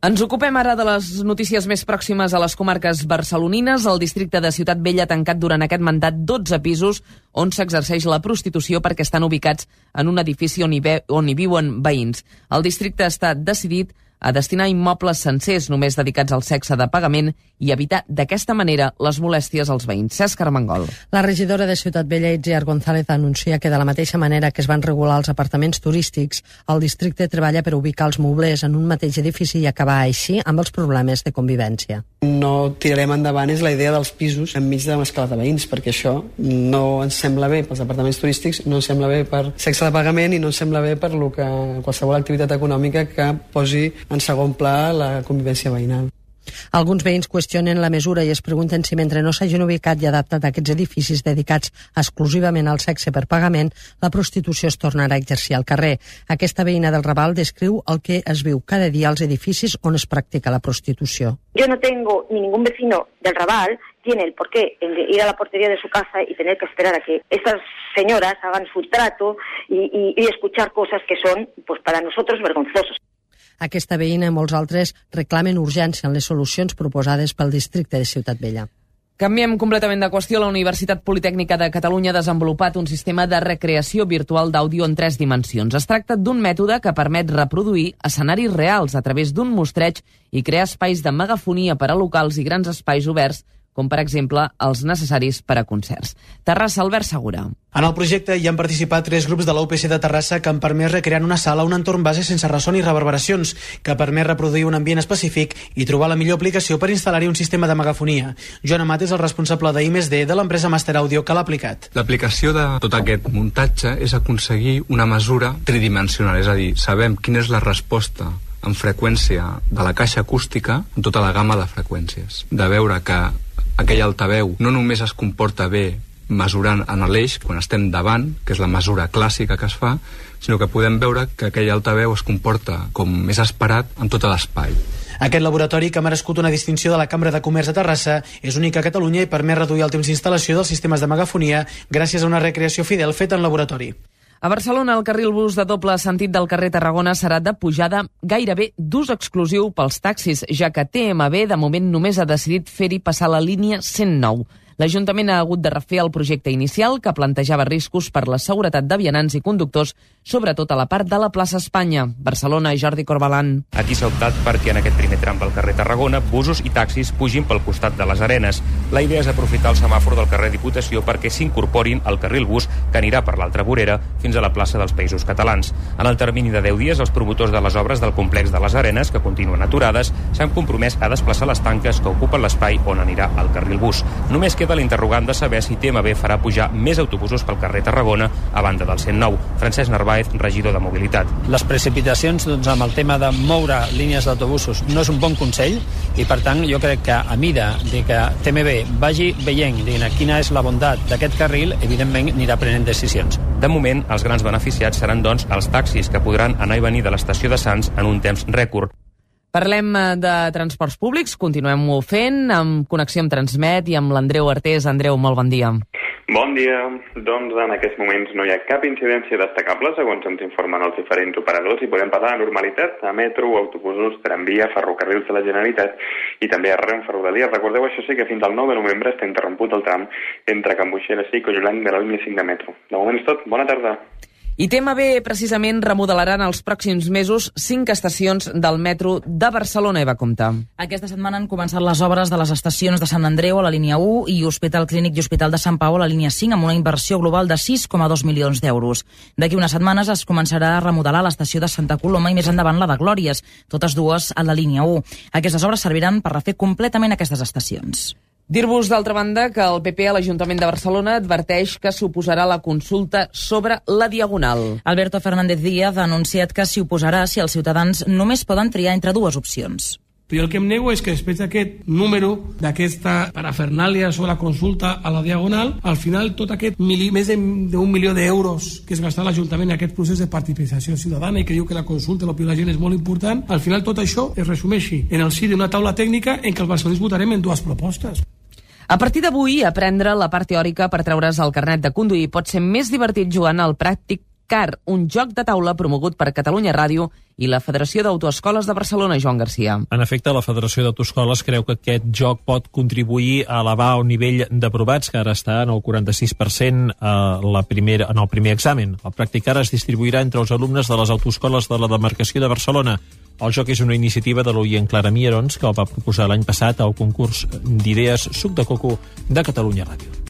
Ens ocupem ara de les notícies més pròximes a les comarques barcelonines. El districte de Ciutat Vella ha tancat durant aquest mandat 12 pisos on s'exerceix la prostitució perquè estan ubicats en un edifici on hi viuen veïns. El districte està decidit a destinar immobles sencers només dedicats al sexe de pagament i evitar d'aquesta manera les molèsties als veïns. Cesc Armengol. La regidora de Ciutat Vella, Itziar González, anuncia que de la mateixa manera que es van regular els apartaments turístics, el districte treballa per ubicar els moblers en un mateix edifici i acabar així amb els problemes de convivència. No tirarem endavant és la idea dels pisos enmig de l'escala de veïns, perquè això no ens sembla bé pels apartaments turístics, no ens sembla bé per sexe de pagament i no ens sembla bé per qualsevol activitat econòmica que posi en segon pla la convivència veïnal. Alguns veïns qüestionen la mesura i es pregunten si mentre no s'hagin ubicat i adaptat aquests edificis dedicats exclusivament al sexe per pagament, la prostitució es tornarà a exercir al carrer. Aquesta veïna del Raval descriu el que es viu cada dia als edificis on es practica la prostitució. Yo no tengo ni ningún vecino del Raval tiene el porqué de ir a la portería de su casa y tener que esperar a que estas señoras hagan su trato y escuchar cosas que son, pues para nosotros, vergonzosos. Aquesta veïna i molts altres reclamen urgència en les solucions proposades pel districte de Ciutat Vella. Canviem completament de qüestió. La Universitat Politècnica de Catalunya ha desenvolupat un sistema de recreació virtual d'àudio en 3 dimensions. Es tracta d'un mètode que permet reproduir escenaris reals a través d'un mostreig i crear espais de megafonia per a locals i grans espais oberts, com per exemple els necessaris per a concerts. Terrassa, Albert Segura. En el projecte hi han participat 3 grups de la UPC de Terrassa que han permès recrear en una sala un entorn base sense ressò ni reverberacions, que permet reproduir un ambient específic i trobar la millor aplicació per instal·lar-hi un sistema de megafonia. Joan Amat és el responsable de I+D de l'empresa Master Audio que l'ha aplicat. L'aplicació de tot aquest muntatge és aconseguir una mesura tridimensional, és a dir, sabem quina és la resposta en freqüència de la caixa acústica en tota la gamma de freqüències. De veure que aquell altaveu no només es comporta bé mesurant en l'eix quan estem davant, que és la mesura clàssica que es fa, sinó que podem veure que aquell altaveu es comporta com més esperat en tot l'espai. Aquest laboratori, que ha merescut una distinció de la Cambra de Comerç de Terrassa, és únic a Catalunya i permet reduir el temps d'instal·lació dels sistemes de megafonia gràcies a una recreació fidel feta en laboratori. A Barcelona, el carril bus de doble sentit del carrer Tarragona serà de pujada gairebé d'ús exclusiu pels taxis, ja que TMB de moment només ha decidit fer-hi passar la línia 109. L'Ajuntament ha hagut de refer el projecte inicial, que plantejava riscos per la seguretat de vianants i conductors, sobretot a la part de la plaça Espanya. Barcelona, Jordi Corbalan. Aquí s'ha optat perquè en aquest primer tram del carrer Tarragona busos i taxis pugin pel costat de les Arenes. La idea és aprofitar el semàfor del carrer Diputació perquè s'incorporin al carril bus que anirà per l'altra vorera fins a la plaça dels Països Catalans. En el termini de 10 dies, els promotors de les obres del complex de les Arenes, que continuen aturades, s'han compromès a desplaçar les tanques que ocupen l'espai on anirà el carril bus. Només queda l'interrogant de saber si TMB farà pujar més autobusos pel carrer Tarragona a banda del 109. Francesc Narváez, regidor de Mobilitat. Les precipitacions amb el tema de moure línies d'autobusos no és un bon consell i, per tant, jo crec que a mida de que TMB vagi veient quina és la bondat d'aquest carril, evidentment anirà prenent decisions. De moment, els grans beneficiats seran, doncs, els taxis, que podran anar i venir de l'estació de Sants en un temps rècord. Parlem de transports públics, continuem-ho fent amb connexió amb Transmet i amb l'Andreu Artés. Andreu, molt bon dia. Bon dia. Doncs en aquests moments no hi ha cap incidència destacable, segons ens informen els diferents operadors, i podem parlar de normalitat a metro, autobusos, tramvia, ferrocarrils de la Generalitat i també a Renfe Rodalies. Recordeu, això sí, que fins al 9 de novembre està interromput el tram entre Can Buixera i Colliolanc de la línia 5 de metro. De moment és tot. Bona tarda. I TMB precisament remodelaran els pròxims mesos 5 estacions del metro de Barcelona, Eva Compte. Aquesta setmana han començat les obres de les estacions de Sant Andreu a la línia 1 i Hospital Clínic i Hospital de Sant Pau a la línia 5 amb una inversió global de 6,2 milions d'euros. D'aquí unes setmanes es començarà a remodelar l'estació de Santa Coloma i més endavant la de Glòries, totes dues a la línia 1. Aquestes obres serviran per refer completament aquestes estacions. Dir-vos, d'altra banda, que el PP a l'Ajuntament de Barcelona adverteix que s'oposarà a la consulta sobre la Diagonal. Alberto Fernández Díaz ha anunciat que s'hi oposarà si els ciutadans només poden triar entre 2 opcions. Però el que em nego és que després d'aquest número, d'aquesta parafernàlia sobre la consulta a la Diagonal, al final tot aquest més d'un milió d'euros que es gastarà l'Ajuntament en aquest procés de participació ciutadana i que diu que la consulta, l'opinió de la gent és molt important, al final tot això es resumeixi en el si d'una taula tècnica en què els barcelonins votarem en 2 propostes. A partir d'avui, aprendre la part teòrica per treure's el carnet de conduir pot ser més divertit jugant al pràctic CAR, un joc de taula promogut per Catalunya Ràdio i la Federació d'Autoescoles de Barcelona, Joan Garcia. En efecte, la Federació d'Autoescoles creu que aquest joc pot contribuir a elevar el nivell d'aprovats, que ara està en el 46% en el primer examen. El practicar es distribuirà entre els alumnes de les autoescoles de la demarcació de Barcelona. El joc és una iniciativa de l'oient Clara Mierons, que el va proposar l'any passat al concurs d'idees Suc de Coco de Catalunya Ràdio.